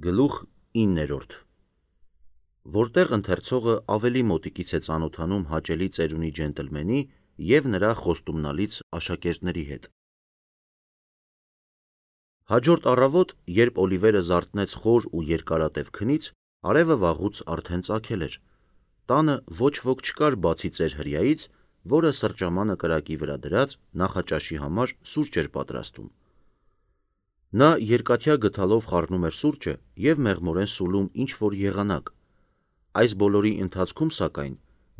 Գլուխ 9. Որտեղ ընթերցողը ավելի մոտիկից է ծանոթանում հաճելի ծերունի ջենտլմենի և նրա խոստումնալից աշակերտների հետ։ Հաջորդ առավոտ, երբ Օլիվերը զարթնեց խոր ու երկարատև քնից, արևը վաղուց արդեն ծագել էր։ Տանը ոչ ոք չկար բացի ծեր հրեայից, որը սրճամանը կրակի վրա դրած նախաճաշի համար սուրճ էր պատրաստում։ Նա երկաթյա գդալով խառնում էր սուրճը և մեղմորեն սուլում ինչ-որ եղանակ։ Այս բոլորի ընթացքում, սակայն,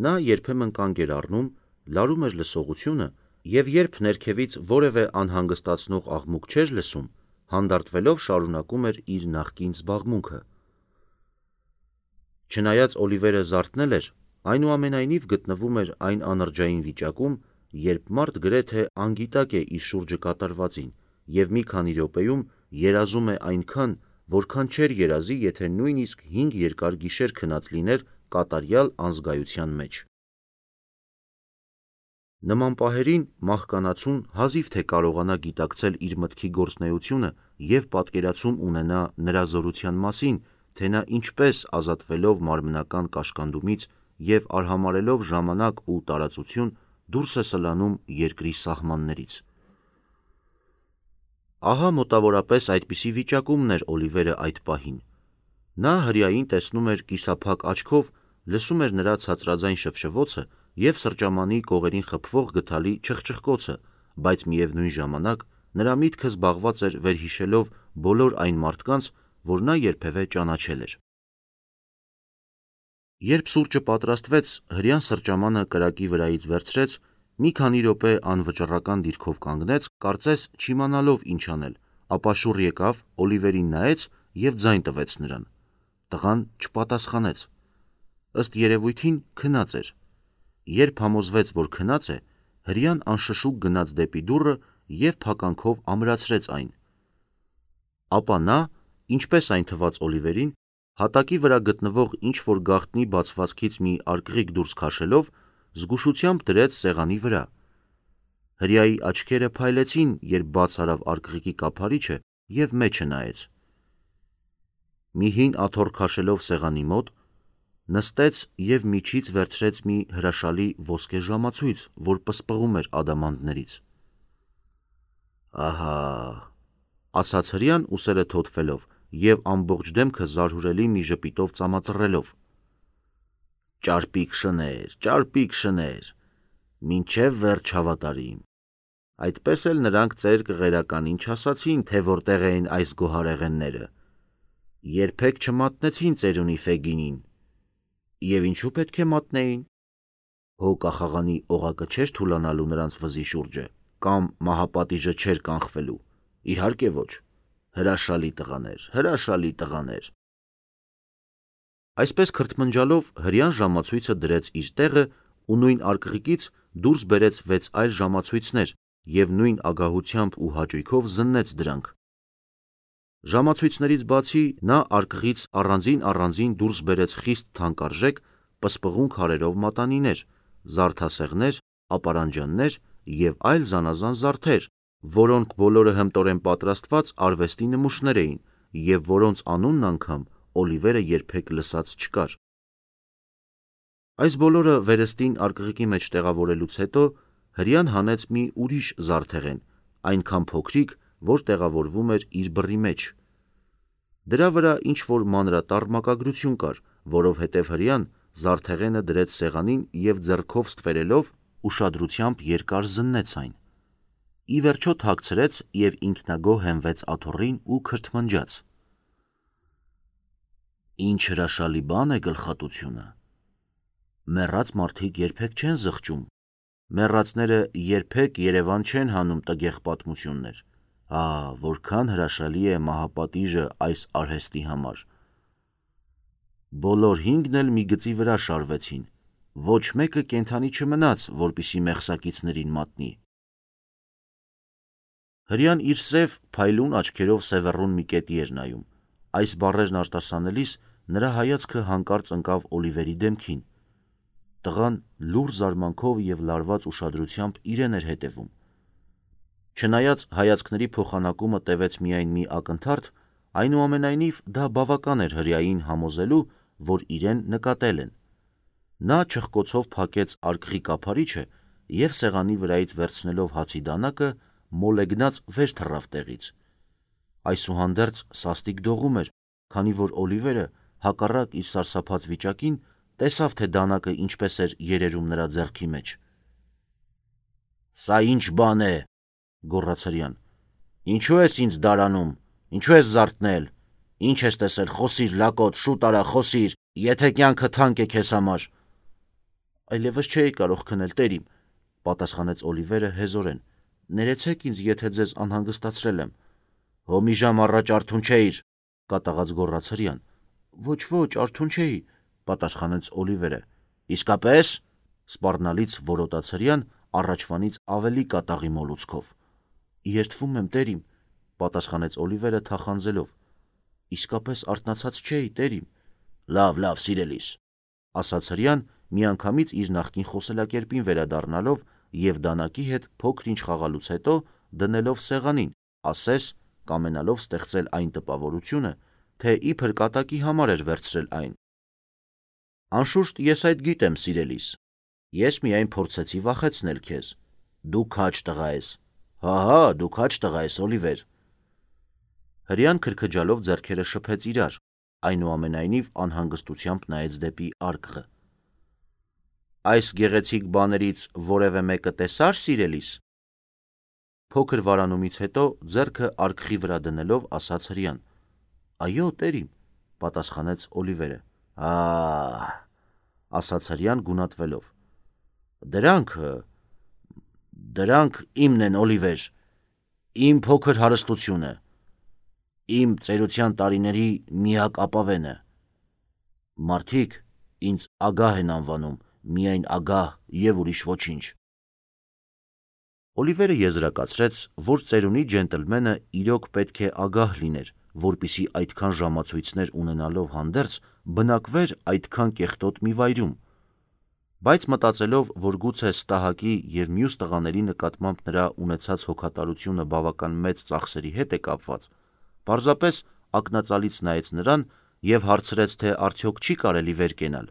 նա երբեմն կանգ էր առնում, լարում էր լսողությունը և երբ ներքևից որևէ անհանգստացնող աղմուկ չէր լսում, հանդարտվելով շարունակում էր իր նախկին զբաղմունքը։ Չնայած Օլիվերը զարթնել էր, այնուամենայնիվ գտնվում էր այն անրջային վիճակում, երբ մարդ գրեթե անգիտակ է իր շուրջը կատարվածին և մի քանի րոպեում երազում է այնքան, որքան չէր երազի, եթե նույնիսկ 5 երկար գիշեր քնած լիներ կատարյալ անզգայության մեջ։ Նման պահերին մահկանացուն հազիվ թե կարողանա գիտակցել իր մտքի գործունեությունը և պատկերացում ունենա նրա զորության մասին, թե նա ինչպես ազատվելով մարմնական կաշկանդումից և արհամարհելով ժամանակ ու տարածություն դուրս է սլանում երկրի սահմաններից։ Ահա մոտավորապես այդպիսի վիճակումն էր Օլիվերը այդ պահին։ Նա հրեային տեսնում էր կիսափակ աչքով, լսում էր նրա ցածրաձայն շվշվոցը և սրճամանի կողերին խփվող գդալի չխչխկոցը, բայց միևնույն ժամանակ նրա միտքը զբաղված էր վերհիշելով բոլոր այն մարդկանց, որ նա երբևէ ճանաչել էր։ Երբ սուրճը պատրաստվեց, հրեան սրճամանը կրակի վրայից վերցրեց, մի քանի րոպե անվճռական դիրքով կանգնեց, կարծես չիմանալով ինչ անել, ապա շուռ եկավ, Օլիվերին նայեց և ձայն տվեց նրան։ Տղան չպատասխանեց։ Ըստ երևույթին քնած էր։ Երբ համոզվեց, որ քնած է, հրեան անշշուկ գնաց դեպի դուռը և փականքով ամրացրեց այն։ Ապա նա, ինչպես այն թվաց Օլիվերին, հատակի վրա գտնվող ինչ-որ գաղտնի բացվածքից մի արկղիկ դուրս քաշելով, զգուշությամբ դրեց սեղանի վրա։ Հրեայի աչքերը փայլեցին, երբ բաց արավ արկղիկի կափարիչը և մեջը նայեց։ Մի հին աթոռ քաշելով սեղանի մոտ, նստեց և միջից վերցրեց մի հրաշալի ոսկե ժամացույց, որ պսպղում էր ադամանդներից։ «Ահա», ասաց հրեան ուսերը թոթվելով և ամբողջ դեմքը զարհուրելի մի ժպիտով ծամածռելով։ «Ճարպիկ շներ, մինչև վերջ հավատարիմ։ Այդպես էլ նրանք ծեր կղերականին չասացին, թե որտեղ էին այս գոհարեղենները։ Երբեք չմատնեցին ծերունի Ֆեգինին։ Եվ ինչու պետք է մատնեին։ Հո կախաղանի օղակը չէր թուլանալու նրանց վզի շուրջը, կամ մահապատիժը չէր կանխվելու։ Իհարկե ոչ։ Հրաշալի տղաներ։ Այսպես քրթմնջալով հրեան ժամացույցը դրեց իր տեղը ու նույն արկղիկից դուրս բերեց 6 այլ ժամացույցներ և նույն ագահությամբ ու հաճույքով զննեց դրանք։ Ժամացույցներից բացի նա արկղից առանձին դուրս բերեց խիստ թանկարժեք, պսպղուն քարերով մատանիներ, զարդասեղներ, ապարանջաններ և այլ զանազան զարդեր, որոնք բոլորը հմտորեն պատրաստված արվեստի նմուշներ էին և որոնց անունն անգամ Օլիվերը երբեք լսած չկար։ Այս բոլորը վերստին արկղիկի մեջ տեղավորելուց հետո հրեան հանեց մի ուրիշ զարդեղեն, այնքան փոքրիկ, որ տեղավորվում էր իր բռի մեջ։ Դրա վրա ինչ-որ մանրատառ մակագրություն կար, որովհետև հրեան զարդեղենը դրեց սեղանին և ձեռքով ստվերելով ուշադրությամբ երկար զննեց այն։ Ի վերջո թաքցրեց և ինքնագոհ հենվեց աթոռին ու քրթմնջաց։ Ինչ հրաշալի բան է գլխատությունը։ Մեռած մարդիկ երբեք չեն զղջում։ Մեռածները երբեք Երևան չեն հանում տգեղ պատմություններ։ Որքան հրաշալի է մահապատիժը այս արհեստի համար։ Բոլոր 5-ն էլ մի գծի վրա շարվեցին։ Ոչ մեկը կենդանի չմնաց, որպեսզի մեղսակիցներին մատնի։ Հրեան իր սև, փայլուն աչքերով Սևեռուն մի կետի էր նայում։ Այս բառերն արտասանելիս նրա հայացքը հանկարծ ընկավ Օլիվերի դեմքին։ Տղան լուռ զարմանքով և լարված ուշադրությամբ իրեն էր հետևում։ Չնայած հայացքների փոխանակումը տևեց միայն մի ակնթարթ, Այնուամենայնիվ դա բավական էր հրեային համոզելու, որ իրեն նկատել են։ Նա չխկոցով փակեց արկղի կափարիչը և սեղանի վրայից վերցնելով հացի դանակը մոլեգնած վեր թռավ տեղից։ Այսուհանդերձ սաստիկ դողում էր, քանի որ Օլիվերը, հակառակ իր սարսափած վիճակին, տեսավ, թե դանակը ինչպես էր երերում նրա ձեռքի մեջ։ «Սա ինչ բան է», գոռաց հրեան։ «Ինչու ես ինձ դարանում, ինչու ես զարթնել, ինչ ես տեսել, խոսիր, լակոտ, շուտ արա, խոսիր, եթե կյանքը թանկ է քեզ համար»։ «Այլևս չէի կարող քնել, տերիմ», պատասխանեց Օլիվերը հեզորեն։ «Ներեցեք ինձ, եթե ձեզ անհանգստացրել եմ»։ «Հո մի ժամ առաջ արթուն չէիր», կատաղած գոռաց հրեան։ «Ոչ, արթուն չէի», պատասխանեց Օլիվերը։ «Իսկապես», սպառնալից որոտաց հրեան առաջվանից ավելի կատաղի մոլուցքով։ «Երդվում եմ, տերիմ», պատասխանեց Օլիվերը թախանձելով։ «Իսկապես արթնացած չէի, տերիմ»։ Լավ, սիրելիս, ասաց հրեան, միանգամից իր նախկին խոսելակերպին վերադառնալով և դանակի հետ փոքր-ինչ խաղալուց հետո դնելով սեղանին, ասես կամենալով ստեղծել այն տպավորությունը, թե իբր կատակի համար էր վերցրել այն։ «Անշուշտ ես այդ գիտեմ, սիրելիս, ես միայն փորձեցի վախեցնել քեզ։ Դու քաջ տղա ես։ Հա, դու քաջ տղա ես, Օլիվեր»։ Հրեան քրքջալով ձեռքերը շփեց իրար, այնուամենայնիվ անհանգստությամբ նայեց դեպի արկղը։ «Այս գեղեցիկ բաներից որևէ մեկը տեսա՞ր, սիրելիս»։ Փոքր վարանումից հետո ձեռքը արկղի վրա դնելով ասաց հրեան։ «Այո, տերիմ», պատասխանեց Օլիվերը։ «Ահ», ասաց հրեան գունատվելով։ Դրանք իմն են, Օլիվեր, իմ փոքր հարստությունը, իմ ծերության տարիների միակ ապավենը։ Մարդիկ ինձ ագահ են անվանում, միայն ագահ և ուրիշ ոչինչ»։ Օլիվերը եզրակացրեց, որ ծերունի ջենտլմենը իրոք պետք է ագահ լիներ, որպեսզի այդքան ժամացույցներ ունենալով հանդերձ բնակվեր այդքան կեղտոտ մի վայրում, բայց մտածելով, որ գուցե Ստահակի և մյուս տղաների նկատմամբ նրա ունեցած հոգատարությունը բավական մեծ ծախսերի հետ է կապված, պարզապես ակնածալից նայեց նրան և հարցրեց, թե արդյոք չի կարելի վեր կենալ։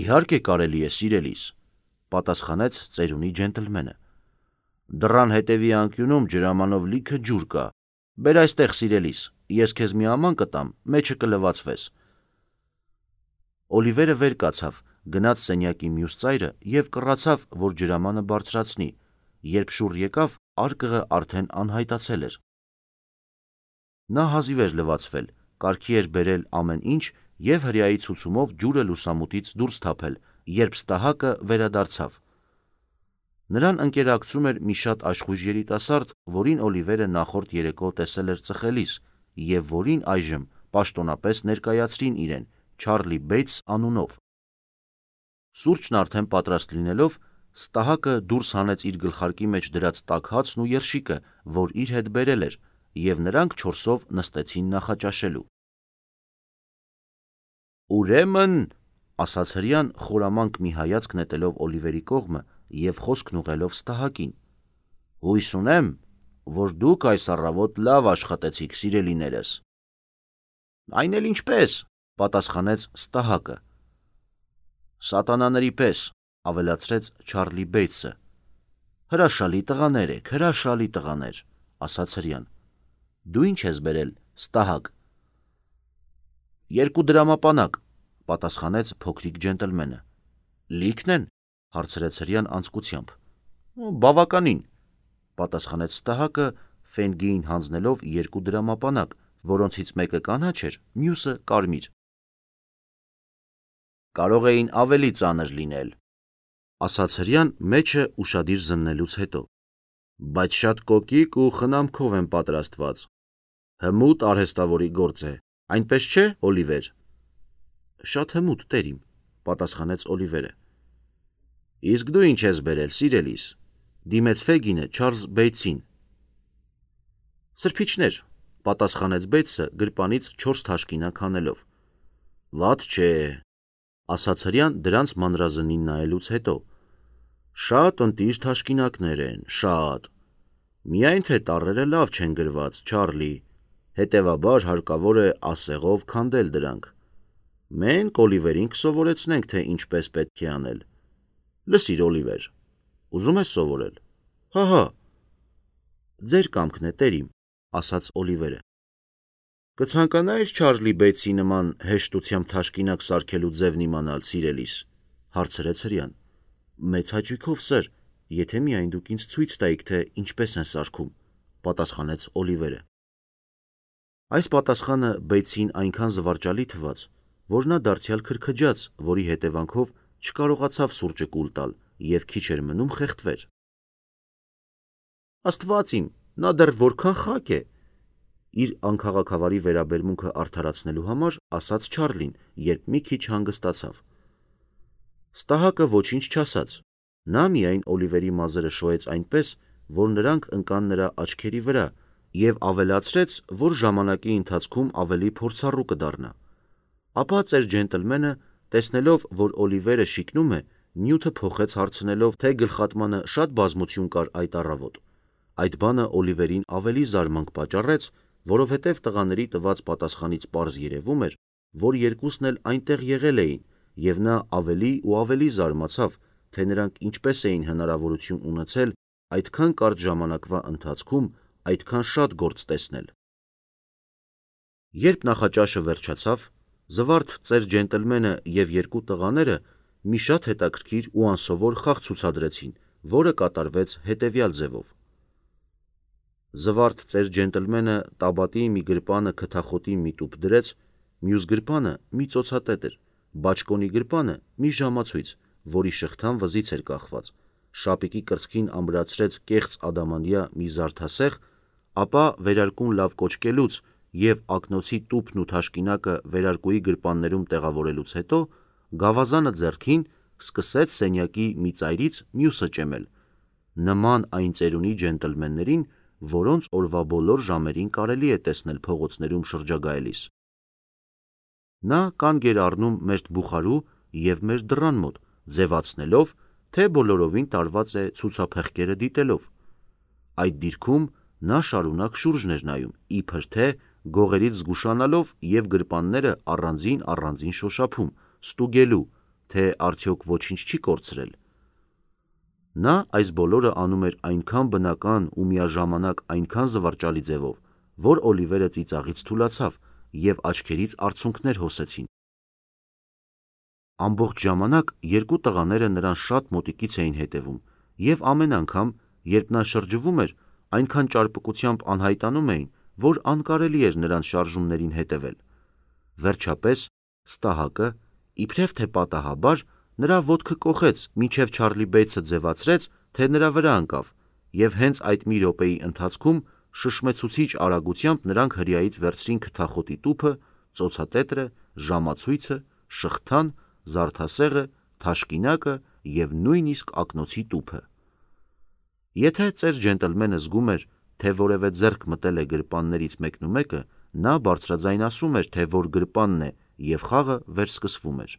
«Իհարկե կարելի է, սիրելիս», պատասխանեց ծերունի ջենտլմենը։ «Դռան հետևի անկյունում ջրամանով լիքը ջուր կա։ Բեր այստեղ, սիրելիս, ես քեզ մի աման կտամ, մեջը կլվացվես»։ Օլիվերը վեր կացավ, գնաց սենյակի մյուս ծայրը և կռացավ, որ ջրամանը բարձրացնի, երբ շուռ եկավ, արկղը արդեն անհայտացել էր։ Նա հազիվ էր լվացվել, կարգի էր բերել ամեն ինչ և հրեայի ցուցումով ջուրը լուսամուտից դուրս թափել, երբ Ստահակը վերադարձավ։ Նրան ընկերակցում էր մի շատ աշխույժ երիտասարդ, որին Օլիվերը նախորդ երեկո տեսել էր ծխելիս և որին այժմ պաշտոնապես ներկայացրին իրեն, Չարլի Բեյթս անունով։ Սուրճն արդեն պատրաստ լինելով, Ստահակը դուրս հանեց իր գլխարկի մեջ դրած տաք հացն ու երշիկը, որ իր հետ բերել էր, և նրանք չորսով նստեցին նախաճաշելու։ «Ուրեմն», ասաց հրեան, խորամանկ մի հայացք նետելով Օլիվերի կողմը և խոսքն ուղղելով Ստահակին, «հույս ունեմ, որ դուք այս առավոտ լավ աշխատեցիք, սիրելիներս»։ «Այն էլ ինչպես», պատասխանեց Ստահակը։ «Սատանաների պես», ավելացրեց Չարլի Բեյթսը։ «Հրաշալի տղաներ եք, հրաշալի տղաներ», ասաց հրեան։ «Դու ինչ ես բերել, Ստահակ»։ 2 դրամապանակ, պատասխանեց փոքրիկ ջենտլմենը։ «Լի՞քն են», հարցրեց հրեան անձկությամբ։ «Բավականին», պատասխանեց Ստահակը, ֆենգեին հանձնելով 2 դրամապանակ, որոնցից մեկը կանաչ էր, մյուսը կարմիր։ «Կարող էին ավելի ծանր լինել», ասաց հրեան մեջը ուշադիր զննելուց հետո, «բայց շատ կոկիկ ու խնամքով են պատրաստված։ Հմուտ արհեստավորի գործ է, այնպես չէ, Օլիվեր»։ «Շատ հմուտ, տերիմ», պատասխանեց Օլիվերը։ «Իսկ դու ինչ ես բերել, սիրելիս», դիմեց Ֆեգինը Չարլզ Բեյթսին։ «Սրբիչներ», պատասխանեց Բեյթսը գրպանից 4 թաշկինակ հանելով։ «Վատ չէ», ասաց հրեան դրանց մանրազնին նայելուց հետո։ «Շատ ընտիր թաշկինակներ են, շատ։ Միայն թե տառերը լավ չեն գրված, Չարլի, Հետևաբար հարկավոր է ասեղով քանդել դրանք։ Մենք Օլիվերին կսովորեցնենք, թե ինչպես պետք է անել։ Լսիր, Օլիվեր, ուզում ես սովորել։ Հա, ձեր կամքն է, տերիմ, ասաց Օլիվերը։ Կցանկանայիր Չարլի Բեյթսի նման հեշտությամբ թաշկինակ սարքելու ձևն իմանալ, սիրելիս, հարցրեց հրեան։ Մեծ հաճույքով, սըր, եթե միայն դուք ինձ ցույց տայիք, թե ինչպես են սարքում, պատասխանեց Օլիվերը։ Այս պատասխանը Բեյթսին այնքան զվարճալի թվաց, որ նա դարձյալ քրքջաց, որի հետևանքով չկարողացավ սուրճը կուլ տալ և քիչ էր մնում խեղդվեր։ Աստված իմ, նա դեռ որքան խակ է, իր անքաղաքավարի վերաբերմունքը արդարացնելու համար ասաց Չարլին, երբ մի քիչ հանգստացավ։ Ստահակը ոչինչ չասաց, նա միայն Օլիվերի մազերը շոյեց այնպես, որ նրանք ընկան նրա աչքերի վրա և ավելացրեց, որ ժամանակի ընթացքում ավելի փորձառու կդառնա։ Ապա ծեր ջենտլմենը, տեսնելով, որ Օլիվերը շիկնում է, նյութը փոխեց հարցնելով, թե գլխատմանը շատ բազմություն կար այդ առավոտ։ Այդ բանը Օլիվերին ավելի զարմանք պատճառեց, որովհետև տղաների տված պատասխանից պարզ երևում էր, որ երկուսն էլ այնտեղ եղել էին, և նա ավելի ու ավելի զարմացավ, թե նրանք ինչպես էին հնարավորություն ունեցել այդքան կարճ ժամանակվա ընթացքում այդքան շատ գործ տեսնել։ Երբ նախաճաշը վերջացավ, զվարթ ծեր ջենտլմենը և երկու տղաները մի շատ հետաքրքիր ու անսովոր խաղ ցուցադրեցին, որը կատարվեց հետևյալ ձևով։ Զվարթ ծեր ջենտլմենը տաբատի մի գրպանը քթախոտի մի տուփ դրեց, մյուս գրպանը մի ծոցատետր, բաճկոնի գրպանը մի ժամացույց, որի շղթան վզից էր կախված, շապիկի կրծքին ամրացրեց կեղծ ադամանդյա մի զարդասեղ, ապա վերարկուն լավ կոճկելուց և ակնոցի տուփն ու թաշկինակը վերարկուի գրպաններում տեղավորելուց հետո, գավազանը ձեռքին սկսեց սենյակի մի ծայրից մյուսը ճեմել, նման այն ծերունի ջենտլմեններին, որոնց օրվա բոլոր ժամերին կարելի է տեսնել փողոցներում շրջագայելիս։ Նա կանգ էր առնում մերթ բուխարու և մեր դռան մոտ, ձևացնելով, թե բոլորովին տարված է ցուցափեղկերը դիտելով։ Այդ դիրքում նա շարունակ շուրջն էր նայում, իբր թե գողերից զգուշանալով և գրպանները առանձին շոշափում, ստուգելու, թե արդյոք ոչինչ չի կորցրել։ Նա այս բոլորը անում էր այնքան բնական ու միաժամանակ այնքան զվարճալի ձևով, որ Օլիվերը ծիծաղից թուլացավ և աչքերից արցունքներ հոսեցին։ Ամբողջ ժամանակ երկու տղաները նրան շատ մոտիկից էին հետևում և ամեն անգամ, երբ նա շրջվում էր, այնքան ճարպկությամբ անհայտանում էին, որ անկարելի էր նրանց շարժումներին հետևել։ Վերջապես Ստահակը, իբրև թե պատահաբար, նրա ոտքը կոխեց, մինչև Չարլի Բեյթսը ձևացրեց, թե նրա վրա ընկավ, և հենց այդ մի րոպեի ընթացքում շշմեցուցիչ արագությամբ նրանք հրեայից վերցրին քթախոտի տուփը, ծոցատետրը, ժամացույցը, շղթան, զարդասեղը, թաշկինակը և նույնիսկ ակնոցի տուփը։ Եթե ծեր ջենտլմենը զգում էր, թե որևէ ձեռք մտել է գրպաններից մեկնումեկը, նա բարձրաձայն ասում էր, թե որ գրպանն է, և խաղը վերսկսվում էր։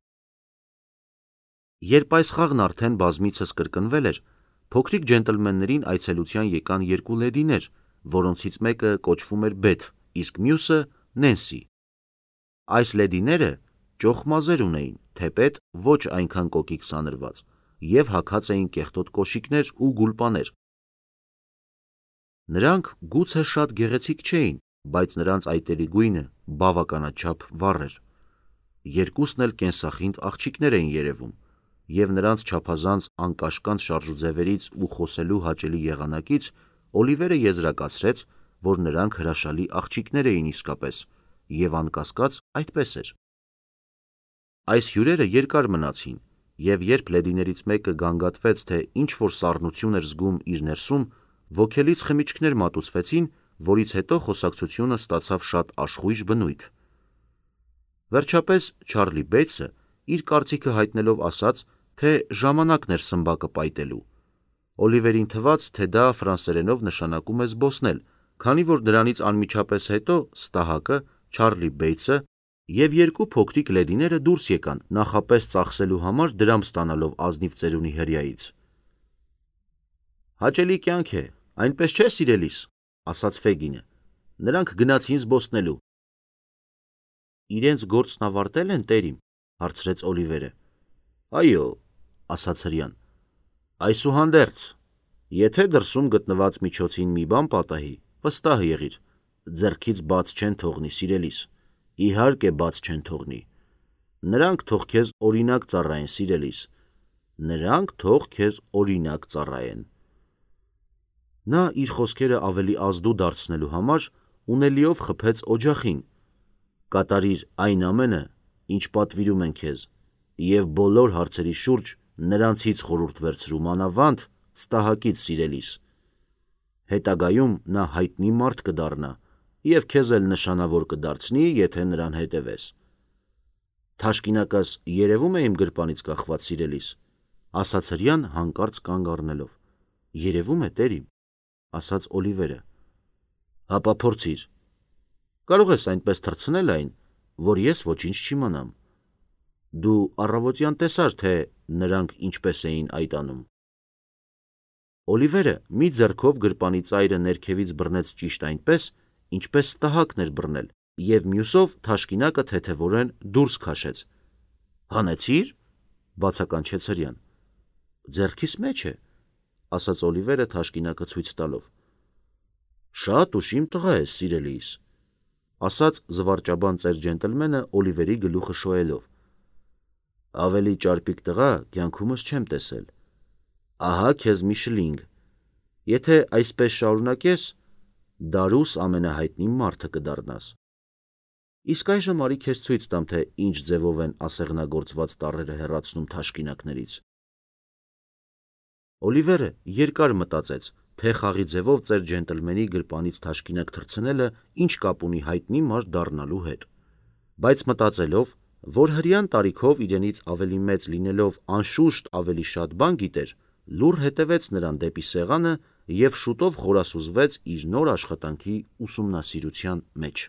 Երբ այս խաղն արդեն բազմիցս կրկնվել էր, փոքրիկ ջենտլմեններին այցելության եկան երկու լեդիներ, որոնցից մեկը կոչվում էր Բեթ, իսկ մյուսը Նենսի։ Այս լեդիները ճոխ մազեր ունեին, թեպետ ոչ այնքան կոկիկ սանրված, և հագած էին կեղտոտ կոշիկներ ու գուլպաներ։ Նրանք գուցե շատ գեղեցիկ չէին, բայց նրանց այտերի գույնը բավականաչափ վառ էր։ Երկուսն էլ կենսախինդ աղջիկներ էին երևում, և նրանց չափազանց անկաշկանդ շարժուձևերից ու խոսելու հաճելի եղանակից Օլիվերը եզրակացրեց, որ նրանք հրաշալի աղջիկներ էին իսկապես, և անկասկած այդպես էր։ Այս հյուրերը երկար մնացին, և երբ լեդիներից մեկը գանգատվեց, թե ինչ-որ սառնություն էր զգում իր ներսում, ոգելից խմիչքներ մատուցվեցին, որից հետո խոսակցությունը ստացավ շատ աշխույժ բնույթ։ Վերջապես Չարլի Բեյթսը իր կարծիքը հայտնելով ասաց, թե ժամանակն էր սմբակը պայտելու։ Օլիվերին թվաց, թե դա ֆրանսերենով նշանակում է զբոսնել, քանի որ դրանից անմիջապես հետո Ստահակը, Չարլի Բեյթսը և երկու փոքրիկ լեդիները դուրս եկան, նախապես ծախսելու համար դրամ ստանալով ազնիվ ծերունի հրեայից։ Հաճելի կյանք է, այնպես չէ, սիրելիս, ասաց Ֆեգինը։ Նրանք գնացին զբոսնելու։ Իրենց գործն ավարտել են, տերիմ, հարցրեց Օլիվերը։ Այո, ասաց հրեան։ Այսուհանդերձ, եթե դրսում գտնված միջոցին մի բան պատահի, վստահ եղիր, ձեռքից բաց չեն թողնի, սիրելիս, իհարկե բաց չեն թողնի։ Նրանք թող քեզ օրինակ ծառայեն, սիրելիս, նրանք թող քեզ օրինակ ծառայեն։ Նա իր խոսքերը ավելի ազդու դարձնելու համար ունելիով խփեց օջախին. կատարիր այն ամենը, ինչ պատվիրում են քեզ, և բոլոր հարցերի շուրջ նրանցից խորհուրդ վերցրու, մանավանդ ստահակից, սիրելիս։ Հետագայում նա հայտնի մարդ կդառնա և քեզ էլ նշանավոր կդարձնի, եթե նրան հետևես։ Թաշկինակս երևում է իմ գրպանից կախված, սիրելիս, ասաց հրեան հանկարծ կանգ առնելով։ Երևում է, տերիմ, ասաց Օլիվերը։ Հապա փորձիր։ Կարող ես այնպես թռցնել այն, որ ես ոչինչ չիմանամ։ Դու առավոտյան տեսար, թե նրանք ինչպես էին այդ անում։ Օլիվերը մի ձեռքով գրպանի ծայրը ներքևից բռնեց ճիշտ այնպես, ինչպես ստահակն էր բռնել, և մյուսով թաշկինակը թեթևորեն դուրս քաշեց։ Հանեցի՞ր, բացականչեց հրեան։ Ձեռքիս մեջ է, ասաց Օլիվերը թաշկինակը ցույց տալով։ Շատ ուշիմ տղա ես, սիրելիս, ասաց զվարճաբան ծեր ջենտլմենը Օլիվերի գլուխը շոյելով։ Ավելի ճարպիկ տղա կյանքումս չեմ տեսել։ Ահա քեզ մի շլինգ։ Եթե այսպես շարունակես, դարուս ամենահայտնի մարդը կդառնաս։ Իսկ այժմ արի քեզ ցույց տամ, թե ինչ ձևով են ասեղնագործված տառերը հեռացնում թաշկինակներից։ Օլիվերը երկար մտածեց, թե խաղի ձևով ծեր ջենտլմենի գրպանից թաշկինակ թռցնելը ինչ կապ ունի հայտնի մարդ դառնալու հետ։ Բայց մտածելով, որ հրեան տարիքով իրենից ավելի մեծ լինելով անշուշտ ավելի շատ բան գիտեր, լուռ հետևեց նրան դեպի սեղանը և շուտով խորասուզվեց իր նոր աշխատանքի ուսումնասիրության մեջ։